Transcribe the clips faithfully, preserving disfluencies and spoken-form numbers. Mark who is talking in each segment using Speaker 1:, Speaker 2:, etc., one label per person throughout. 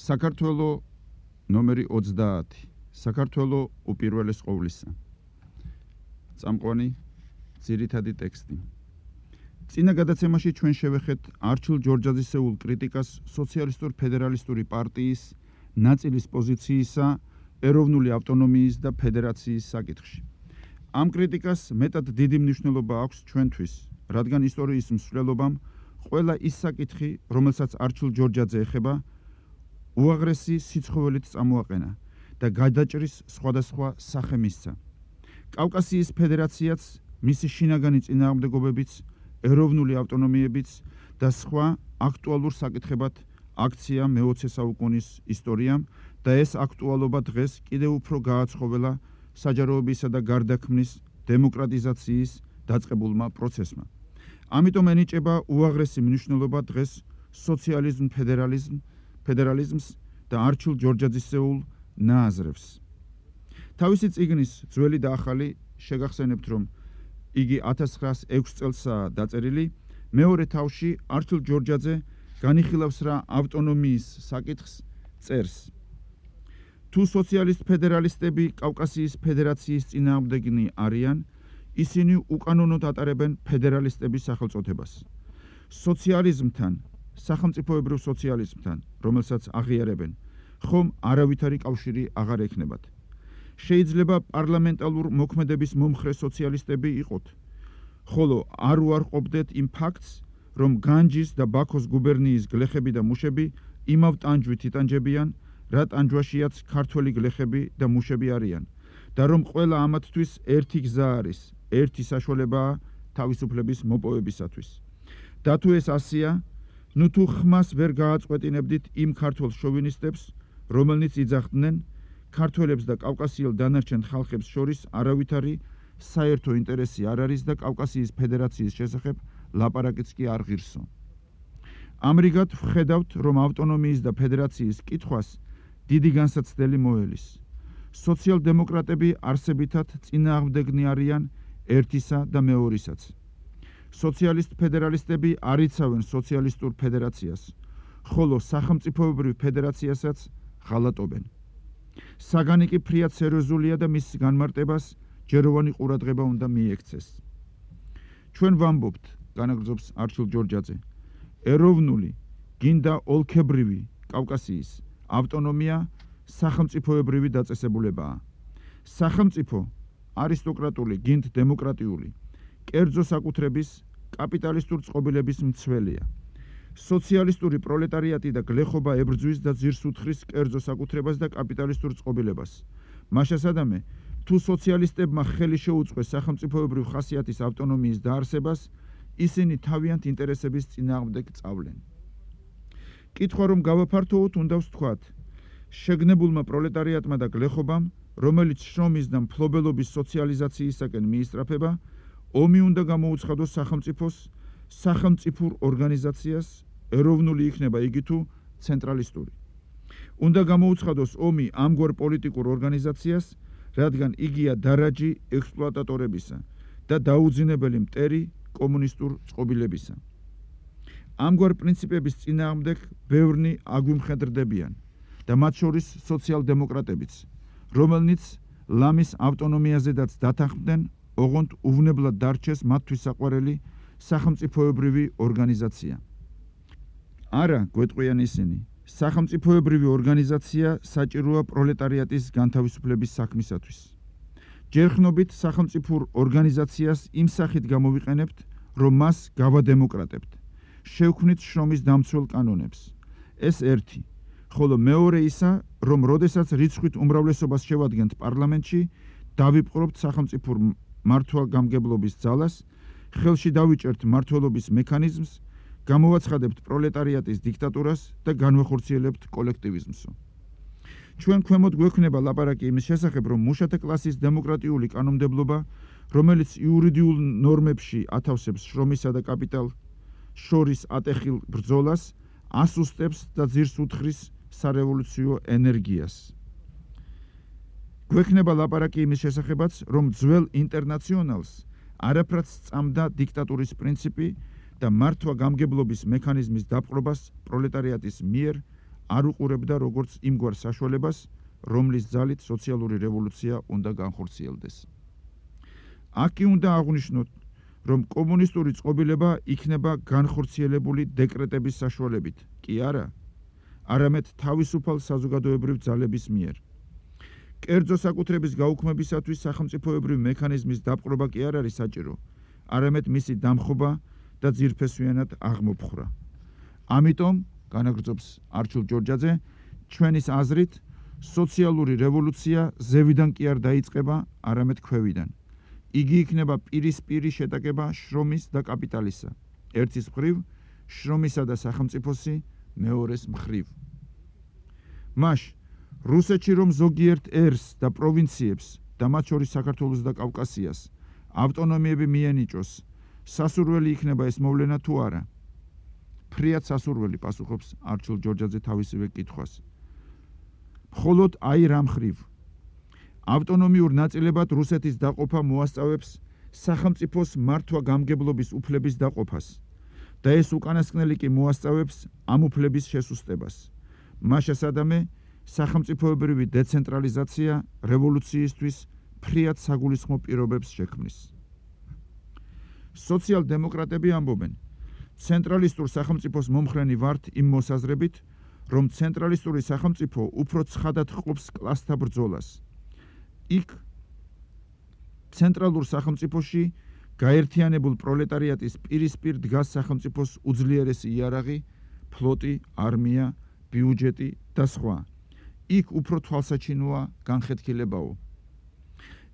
Speaker 1: საქართველო ნომერი ოცდაათი. საქართველო უპირველეს ყოვლისა. წამყვანი ძირითადი ტექსტი. წინა გადაცემაში ჩვენ შევეხეთ არჩილ ჯორჯაძისეულ კრიტიკას სოციალისტურ ფედერალისტური პარტიის ნაწილის პოზიციისა ეროვნული ავტონომიის და ფედერაციის საკითხში. ამ კრიტიკას მეტად დიდი მნიშვნელობა აქვს ჩვენთვის, რადგან ისტორიის მსვლელობამ ყველა ის საკითხი, რომელსაც არჩილ ჯორჯაძე ეხება, უაღრესი სიცხოველით წამოაყენა და გადაჭრის სხვადასხვა სახე მისცა. კავკასიის ფედერაციაც მისი შინაგანი წინააღმდეგობებიც, ეროვნული ავტონომიებიც და სხვა აქტუალურ საკითხებად აქცია მეოცე საუკუნის ისტორიამ და ეს აქტუალობა დღეს კიდევ უფრო გააცხოველა საჯაროებისა და გარდაქმნის დემოკრატიზაციის დაწყებულმა პროცესმა. ამიტომ ენიჭება უაღრესი მნიშვნელობა დღეს სოციალიზმ ფედერალიზმ ფედერალიზმს და არჩილ ჯორჯაძისეულ ნააზრევს. თავისი წიგნის ძველი და ახალი შეგახსენებთ, რომ იგი ათას ცხრაას ექვს წელსაა დაწერილი, მეორე თავში არჩილ ჯორჯაძე განიხილავს რა ავტონომიის საკითხს წერს. თუ სოციალისტ ფედერალისტები კავკასიის ფედერაციის წინააღმდეგნი არიან, ისინი უკანონოდ ატარებენ ფედერალისტების სახელწოდებას. სოციალიზმთან, სახელმწიფოებრივ სოციალიზმთან, რომელსაც აღიარებენ, ხომ არავითარი კავშირი აღარ ექნებათ. შეიძლება პარლამენტალურ მოქმედების მომხრე სოციალისტები იყოთ, ხოლო არ უარყოფდეთ იმ ფაქტს, რომ განჯის და ბაქოს გუბერნიის გლეხები და მუშები იმავ ტანჯვით იტანჯებიან, რა ტანჯვაშიაც ქართველი გლეხები და მუშები არიან და რომ ყველა ამათთვის ერთი გზა არის, ერთი საშუალებაა თავისუფლების მოპოვებისათვის. და თუ ეს ასია, ნუ თუ ხმას ვერ გააწყვეტინებდით იმ ქართველ შოვინისტებს, რომელნიც იძახდნენ ქართველებს და კავკასიელ დანარჩენ ხალხებს შორის არავითარი საერთო ინტერესი არ არის და კავკასიის ფედერაციის შესახებ ლაპარაკიც კი არ ღირსო. ამრიგად ვხედავთ, რომ ავტონომიის და ფედერაციის კითხვას დიდი განსაცდელი მოელის. სოციალ-დემოკრატები არსებითად წინააღმდეგნი არიან ერთისა და მეორისაც. სოციალისტ ფედერალისტები არ იცავენ სოციალისტურ ფედერაციას, ხოლო სახელმწიფოებრივ ფედერაციასაც ღალატობენ. საგანი კი ფრიად სერიოზულია და მის განმარტებას ჯეროვანი ყურადღება უნდა მიექცეს. ჩვენ ვამბობთ, განაგრძობს არჩილ ჯორჯაძე, ეროვნული, გინდა ოლქებრივი კავკასიის ავტონომია სახელმწიფოებრივი დაწესებულებაა. სახელმწიფო არისტოკრატული, გინდ დემოკრატიული, კერძო საკუთრების კაპიტალისტურ წყობილების მცველია. სოციალისტური პროლეტარიატი და გლეხობა ებრძვის და ძირს უთხრის კერძო საკუთრებას და კაპიტალისტურ წყობილებას. მაშასადამე, თუ სოციალისტებმა ხელი შეუწყეს სახელმწიფოებრივ ხასიათის ავტონომიის დაარსებას, ისინი თავიანთ ინტერესების წინააღმდეგ წავლენ. კითხვა რომ გავაფართოვოთ, უნდა ვთქვათ, შეგნებულმა პროლეტარიატმა და გლეხობამ, რომელიც შრომის და მფლობელობის სოციალიზაციისაკენ მიისწრაფება, ომი უნდა გამოუცხადოს სახელმწიფოს, სახელმწიფურ ორგანიზაციას, ეროვნული იქნება იგი თუ ცენტრალისტური. უნდა გამოუცხადოს ომი ამგვარ პოლიტიკურ ორგანიზაციას, რადგან იგია დარაჯი ექსპლუატატორებისა და დაუძინებელი მტერი კომუნისტურ წყობილებისა. ამგვარ პრინციპების წინააღმდეგ ბევრნი აგვიმხედრდებიან და მათ შორის სოციალ-დემოკრატებიც, რომელნიც ლამის ავტონომიაზედაც დათანხმდნენ, ოღონდ უვნებლად დარჩეს მათთვის საყვარელი სახელმწიფოებრივი ორგანიზაცია. არა, გვეტყვიან ისინი, სახელმწიფოებრივი ორგანიზაცია საჭიროა პროლეტარიატის განთავისუფლების საქმისათვის. ჯერხნობით სახელმწიფურ ორგანიზაციას იმ სახით გამოვიყენებთ, რომ მას გავადემოკრატებთ. შევქმნით შრომის დამცველ კანონებს. ეს ერთი, ხოლო მეორე ისა, რომ როდესაც რიცხვით უმრავლესობას შევადგენთ პარლამენტში, დავიპყრობთ სახელმწიფურ მართვა-გამგებლობის ძალას, ხელში დავიჭერთ მმართველობის მექანიზმს, გამოვაცხადებთ პროლეტარიატის დიქტატურას და განვახორციელებთ კოლექტივიზმსო. ჩვენ ქვემოთ გვექნება ლაპარაკი იმის შესახებ, რომ მუშათა კლასის დემოკრატიული კანონმდებლობა, რომელიც იურიდიულ ნორმებში ათავსებს შრომისა და კაპიტალ შორის ატეხილ ბრძოლას, ასუსტებს და ძირს უთხრის სარევოლუციო ენერგიას. გვექნება ლაპარაკი იმის შესახებაც, რომ ძველ ინტერნაციონალს არაფრად სწამდა დიქტატურის პრინციპი და მართვა-გამგებლობის მექანიზმის დაპყრობას პროლეტარიატის მიერ არ უყურებდა როგორც იმგვარ საშუალებას, რომლის ძალით სოციალური რევოლუცია უნდა განხორციელდეს. აქ კი უნდა აღვნიშნოთ, რომ კომუნისტური წყობილება იქნება განხორციელებული დეკრეტების საშუალებით, კი არა, არამედ თავისუფალ საზოგადოებრივ ძალების მიერ. კერძო საკუთრების გაუქმებისათვის სახელმწიფოებრივი მექანიზმის დაპყრობა კი არ არის საჭირო, არამედ მისი დამხობა და ძირფესვიანად აღმოფხრა. ამიტომ, განაგრძობს არჩილ ჯორჯაძე, ჩვენის აზრით, სოციალური რევოლუცია ზევიდან კი არ დაიწყება, არამედ ქვევიდან. იგი იქნება პირისპირი შეტაკება შრომის და კაპიტალისა, ერთის მხრივ, შრომისა და სახელმწიფოსი მეორეს მხრივ. მაშ, რუსეთში რომ ზოგიერთ ერს და პროვინციებს და მათ შორის საქართველოს და კავკასიას ავტონომიები მიენიჭოს, სასურველი იქნება ეს მოვლენა თუ არა? ფრიად სასურველი, პასუხობს არჩილ ჯორჯაძე თავისივე კითხვას. მხოლოდ აი რა მხრივ. ავტონომიურ ნაწილებად რუსეთის დაყოფა მოასწავებს სახელმწიფოს მართვა-გამგებლობის უფლების დაყოფას და ეს უკანასკნელი კი მოასწავებს ამ უფლების შესუსტებას. მაშასადამე სახელმწიფოებრივი დეცენტრალიზაცია რევოლუციისთვის ფრიად საგულისხმო პირობებს შექმნის. სოციალ-დემოკრატები ამბობენ, ცენტრალისტურ სახელმწიფოს მომხრენი ვართ იმ მოსაზრებით, რომ ცენტრალისტური სახელმწიფო უფრო ცხადად ჰყოფს კლასთა ბრძოლას. იქ ცენტრალურ სახელმწიფოში გაერთიანებულ პროლეტარიატის პირისპირ დგას სახელმწიფოს უძლიერესი იარაღი, ფლოტი, არმია, ბიუჯეტი და სხვა. იქ უფრო თვალსაჩინოა განხეთქილებაო.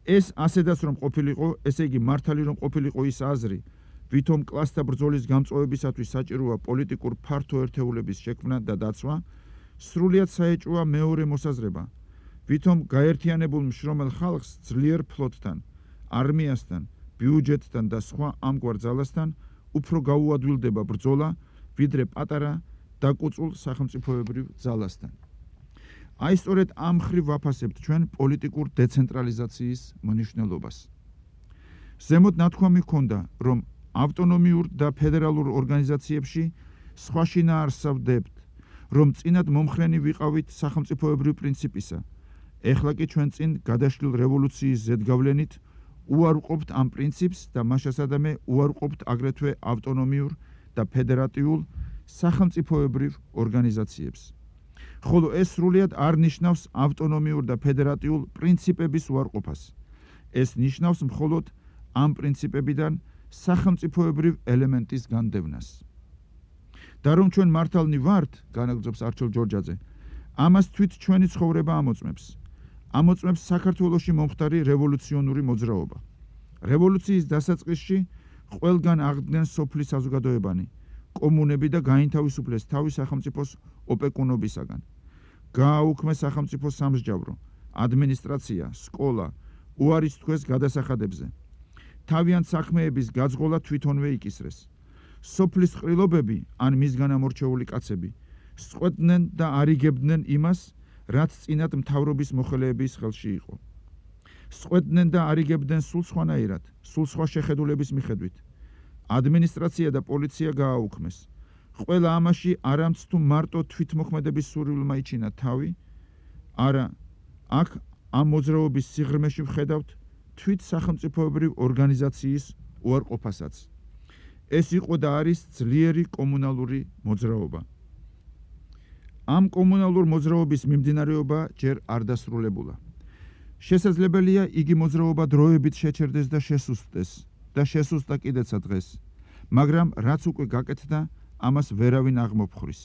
Speaker 1: ეს ასედაც რომ ყოფილიყო, ესე იგი მართალი რომ ყოფილიყო ის აზრი, ვითომ კლასთა ბრძოლის გამწვავებისათვის საჭიროა პოლიტიკურ ფართო ერთეულების შექმნა და დაცვა, სრულიად საეჭვოა მეორე მოსაზრება, ვითომ გაერთიანებულ მშრომელ ხალხს ძლიერ ფლოტთან, არმიასთან, ბიუჯეტთან და სხვა ამგვარ ძალასთან უფრო გაუადვილდება ბრძოლა, ვიდრე პატარა დაკუწულ სახელმწიფოებრივ ძალასთან. აი სწორედ ამ მხრივ ვაფასებთ ჩვენ პოლიტიკურ დეცენტრალიზაციის მნიშვნელობას. ზემოთ ნათქვამი ჰქონდა, რომ ავტონომიურ და ფედერალურ ორგანიზაციებში სხვა შინაარსავდებთ, რომ წინათ მომხრენი ვიყავით სახელმწიფოებრივ პრინციპისა. ეხლა კი ჩვენ წინ გადაშლილ რევოლუციის ზედგავლენით უარყოფთ ამ პრინციპს და მაშასადამე უარყოფთ აგრეთვე ავტონომიურ და ფედერატიულ სახელმწიფოებრივ ორგანიზაციებს. ხოლო ეს სრულიად არ ნიშნავს ავტონომიურ და ფედერატიულ პრინციპების უარყოფას. ეს ნიშნავს მხოლოდ ამ პრინციპებიდან სახელმწიფოებრივ ელემენტის განდევნას. და რომ ჩვენ მართალნი ვართ, განაგრძობს არჩილ ჯორჯაძე, ამას თვით ჩვენი ცხოვრება ამოწმებს. ამოწმებს საქართველოში მომხდარი რევოლუციონური მოძრაობა. რევოლუციის დასაწყისში ყველგან აღდგნენ სოფლის საზოგადოებანი, კომუნები და გაინთავისუფლეს თავის სახელმწიფოს ოპეკუნობისაგან. გააუქმეს სახელმწიფოს სამსჯავრო, ადმინისტრაცია, სკოლა, უარის თქვეს გადასახადებზე. თავიანთ საქმეების გაძღოლა თვითონვე იკისრეს. სოფლის ყრილობები ან მისგან ამორჩეული კაცები სწყვეტდნენ და არიგებდნენ იმას, რაც წინათ მთავრობის მოხელეების ხელში იყო. სწყვეტდნენ და არიგებდნენ სულ სხვანაირად, სულ სხვა შეხედულების მიხედვით. ადმინისტრაცია და პოლიცია გააუქმეს. ყველა ამაში არამც თუ მარტო თვითმოქმედების სურვილმა იჩინა თავი, არა, აქ ამ მოძრაობის სიღრმეში ვხედავთ თვით სახელმწიფოებრივ ორგანიზაციის უარყოფასაც. ეს იყო და არის ძლიერი კომუნალური მოძრაობა. ამ კომუნალურ მოძრაობის მიმდინარეობა ჯერ არ დასრულებულა. შესაძლებელია იგი მოძრაობა დროებით შეჩერდეს და შესუსტდეს და შესუსტდა კიდეცა დღეს, მაგრამ რაც უკვე გაკეთდა, ამას ვერავინ აღმოფხვრის.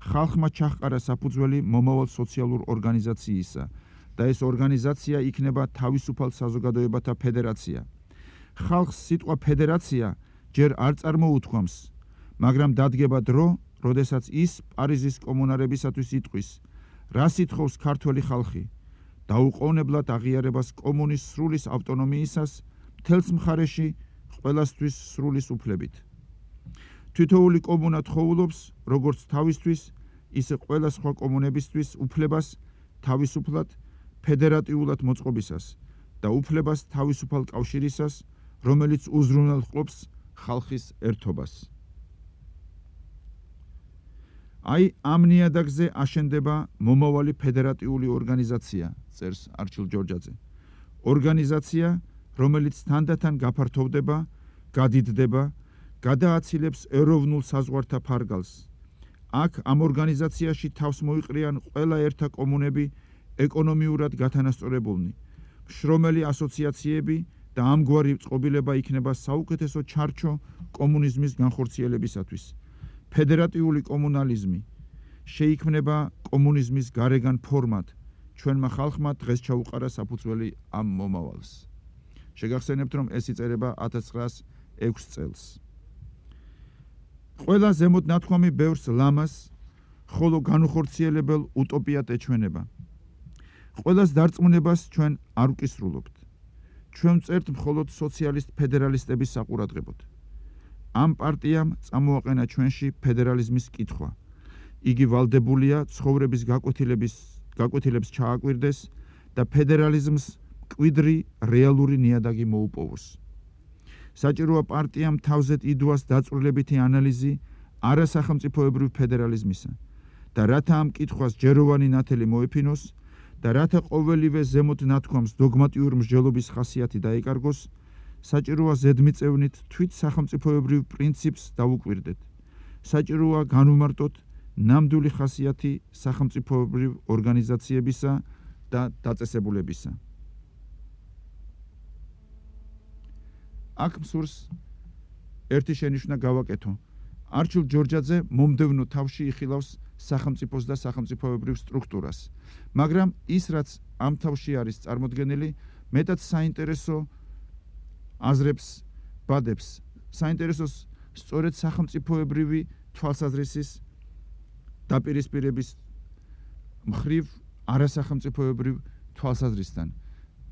Speaker 1: ხალხმა ჩაჰყარა საფუძველი მომავალ სოციალურ ორგანიზაციისა და ეს ორგანიზაცია იქნება თავისუფალ საზოგადოებათა ფედერაცია. ხალხს სიტყვა ფედერაცია ჯერ არ წარმოუთქვამს, მაგრამ დადგება დრო, როდესაც ის პარიზის კომუნარებისათვის იტყვის, რა სიტყავს ქართველი ხალხი, დაუყოვნებლად აღიარებას კომუნის სრულის ავტონომიისას, მთელს მხარეში ყველასთვის სრულის უფლებით. თითოეული კომუნა თხოვულობს, როგორც თავისთვის, ისე ყველა სხვა კომუნებისთვის უფლებას თავისუფლად, ფედერატიულად მოწყობისას და უფლებას თავისუფალ კავშირისას, რომელიც უზრუნველყოფს ხალხის ერთობას. აი ამ ნიადაგზე აშენდება მომავალი ფედერატიული ორგანიზაცია, წერს არჩილ ჯორჯაძე. ორგანიზაცია, რომელიც თანდათან გაფართოვდება, გადიდდება, გადააცილებს ეროვნულ საზღვართა ფარგალს. აქ ამ ორგანიზაციაში თავს მოიყრიან ყველა ერთა კომუნები ეკონომიურად გათანასწორებულნი. შრომელი ასოციაციები და ამგვარი წყობილება იქნება საუკეთესო ჩარჩო კომუნიზმის განხორციელებისათვის. ფედერატიული კომუნალიზმი შეიქმნება კომუნიზმის გარეგან ფორმად. ჩვენმა ხალხმა დღეს ჩაუყარა საფუძველი ამ მომავალს. შეგახსენებთ, რომ ეს იწერება ათას ცხრაას ექვს წელს. ყველა ზემოთ ნათქვამი ბევრს ლამას, ხოლო განუხორციელებელ უტოპიად ეჩვენება. ყველას დარწმუნებას ჩვენ არ ვკისრულობთ. ჩვენ წერთ მხოლოდ სოციალისტ ფედერალისტების საყურადღებოდ. ამ პარტიამ წამოაყენა ჩვენში ფედერალიზმის კითხვა. იგი ვალდებულია ცხოვრების გაკვეთილების გაკვეთილებს ჩააკვირდეს და ფედერალიზმს მკვიდრი რეალური ნიადაგი მოუპოვოს. საჭიროა პარტიამ თავზეთ იდუას დაწვრილებითი ანალიზი არასახელმწიფოებრივ ფედერალიზმისა და რათა ამ კითხვას ჯეროვანი ნათელი მოეფინოს და რათა ყოველივე ზემოთ ნათქვამს დოგმატიური მსჯელობის ხასიათი დაეკარგოს, საჭიროა ზედმიწევნით თვით სახელმწიფოებრივ პრინციპს დავუკვირდეთ. საჭიროა განვმარტოთ ნამდვილი ხასიათი სახელმწიფოებრივ ორგანიზაციებისა და დაწესებულებისა. აქ მსურს ერთი შენიშვნა გავაკეთო. არჩილ ჯორჯაძე მომდევნო თავში იხილავს სახელმწიფოს და სახელმწიფოებრივ სტრუქტურას, მაგრამ ის რაც ამ თავში არის წარმოდგენილი, მეტად საინტერესო აზრებს ბადებს. საინტერესოს სწორედ სახელმწიფოებრივი თვალსაზრისის დაპირისპირების მხრივ არასახელმწიფოებრივ თვალსაზრისთან.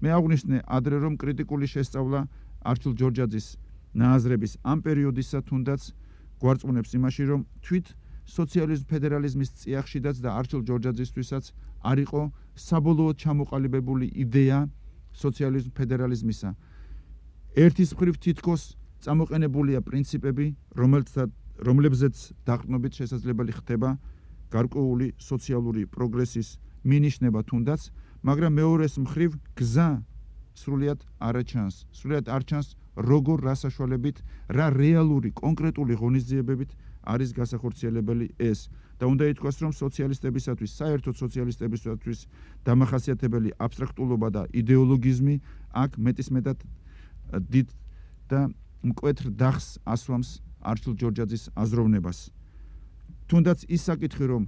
Speaker 1: მე აღვნიშნე ადრე, რომ კრიტიკული შესწავლა არჩილ ჯორჯაძის ნააზრების ამ პერიოდისა თუნდაც გვარწმუნებს იმაში, რომ თვით სოციალიზმ ფედერალიზმის წიაღშიდაც და არჩილ ჯორჯაძისთვისაც არ იყო საბოლოოდ ჩამოყალიბებული იდეა სოციალიზმ ფედერალიზმისა. ერთის მხრივ თითქოს წამოყენებულია პრინციპები, რომლებზეც დაყრდნობით შესაძლებელი ხდება გარკვეული სოციალური პროგრესის მინიშნება თუნდაც, მაგრამ მეორეს მხრივ გზა სრულიად არ ჩანს. სრულიად არ ჩანს, როგორ რა საშუალებით, რა რეალური კონკრეტული ღონისძიებებით არის გასახორციელებელი ეს. და უნდა ითქვას, რომ სოციალისტებისათვის, საერთოდ სოციალისტებისათვის დამახასიათებელი აბსტრაქტულობა და იდეოლოგიზმი აქ მეტისმეტად დიდ და მკვეთრ დახს ასვამს არჩილ ჯორჯაძის აზროვნებას. თუნდაც ის საკითხი, რომ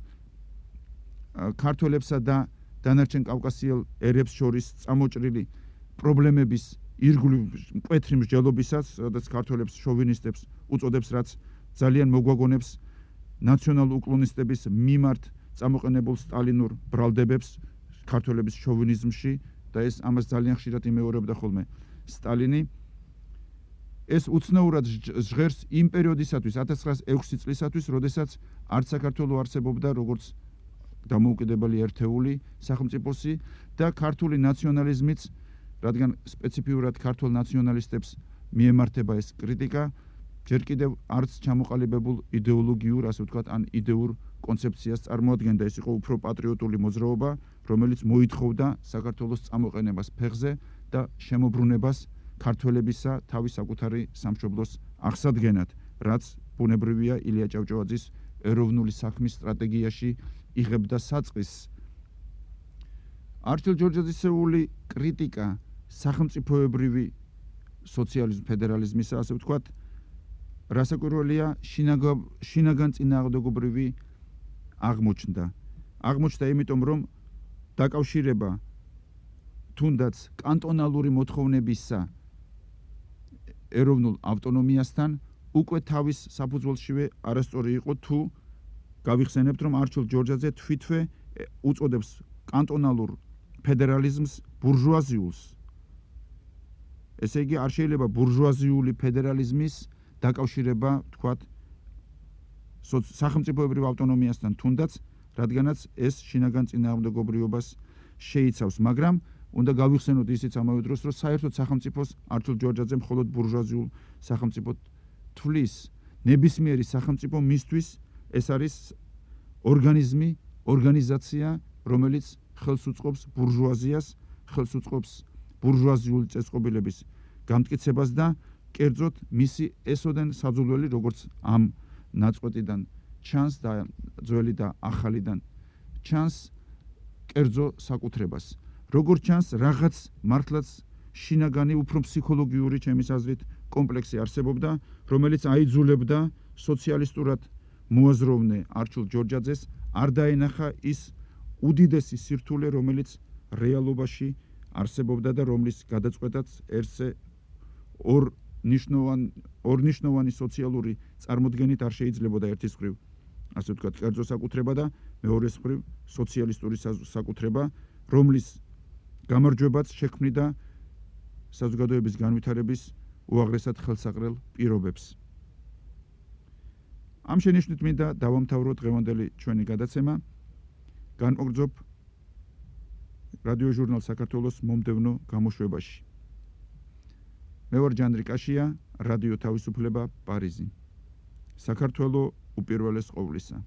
Speaker 1: ქართველებსა და დანარჩენ კავკასიელ ერებს შორის წამოჭრილი პრობლემების ირგვლივ მკვეთრი მსჯელობისაც, სადაც ქართველებს შოვინისტებს უწოდებს, რაც ძალიან მოგვაგონებს ნაციონალ უკლონისტების მიმართ წამოყენებულ სტალინურ ბრალდებებს ქართველების შოვინიზმში და ეს ამას ძალიან ხშირად იმეორებდა ხოლმე სტალინი. ეს უცნაურად ჟღერს იმ პერიოდისათვის, ათას ცხრაას ექვსი წლისათვის, როდესაც არც საქართველო არსებობდა როგორც დამოუკიდებელი ერთეული სახელმწიფოსი და ქართული ნაციონალიზმიც, რადგან სპეციფიურად ქართულ ნაციონალისტებს მიემართება ეს კრიტიკა, ჯერ კიდევ არც ჩამოყალიბებულ იდეოლოგიურ, ასე ვთქვათ, ან იდეურ კონცეფციას წარმოადგენდა. ეს იყო უფრო პატრიოტული მოძრაობა, რომელიც მოითხოვდა საქართველოს წამოყენებას ფეხზე და შემოbrunებას ქართველებისა თავის საკუთარი სამშობლოს აღსადგენად, რაც ბუნებრივია ილია ჭავჭავაძის ეროვნული საქმის სტრატეგიაში იღებდა საწყისს. არჩილ ჯორჯაძისეული კრიტიკა სახელმწიფოებრივი სოციალიზმ ფედერალიზმისა, ასე ვთქვათ, რასაკვირველია, შინაგან წინააღმდეგობრივი აღმოჩნდა. აღმოჩნდა იმიტომ, რომ დაკავშირება თუნდაც კანტონალური მოთხოვნებისა ეროვნულ ავტონომიასთან უკვე თავის საფუძველშივე არასწორი იყო, თუ გავიხსენებთ, რომ არჩილ ჯორჯაძე თვითვე უწოდებს კანტონალურ ფედერალიზმს ბურჟუაზიულს. ესე იგი, არ შეიძლება ბურჟუაზიული ფედერალიზმის დაკავშირება, თქვათ, სახელმწიფოებრივ ავტონომიასთან თუნდაც, რადგანაც ეს შინაგან წინააღმდეგობრიობას შეიცავს, მაგრამ უნდა გავიხსენოთ ისიც ამავე დროს, რომ საერთოდ სახელმწიფოს არჩილ ჯორჯაძე მხოლოდ ბურჟუაზიულ სახელმწიფოდ თვლის. ნებისმიერი სახელმწიფო მისთვის ეს არის ორგანიზმი, ორგანიზაცია, რომელიც ხელს უწყობს ბურჟუაზიას, ხელს უწყობს ბურჟუაზიული წესწყობილების გამტკიცებას და კერძოდ მისი ესოდენ საძულველი, როგორც ამ ნაწყვეტიდან ჩანს და ძველი და ახალიდან ჩანს კერძო საკუთრებას. როგორც ჩანს, რაღაც მართლაც შინაგანი, უფრო ფსიქოლოგიური, ჩემის აზრით, კომპლექსი არსებობდა, რომელიც აიძულებდა სოციალისტურად მოაზროვნე არჩილ ჯორჯაძეს არ დაენახა ის უდიდესი სირთულე, რომელიც რეალობაში არსებობდა და რომლის გადაწყვეტაც ერთზე ორ ნიშნოვანი ორ ნიშნოვანი სოციალური წარმოდგენით არ შეიძლებოდა ერთის მხრივ, ასე ვთქვათ, კერძო საკუთრება და მეორეს მხრივ სოციალისტური საკუთრება, რომლის გამარჯვებაც შექმნიდა საზოგადოების განვითარების უაღრესად ხელსაყრელ პირობებს. ამ შენიშვნით მინდა დავამთავრო დღევანდელი ჩვენი გადაცემა. განმოგრძობ რადიო ჟურნალ საქართველოს მომდევნო გამოშვებაში. მე ვარ ჯანდრი კაშია, რადიო თავისუფლება, პარიზი. საქართველო უპირველეს ყოვლისა.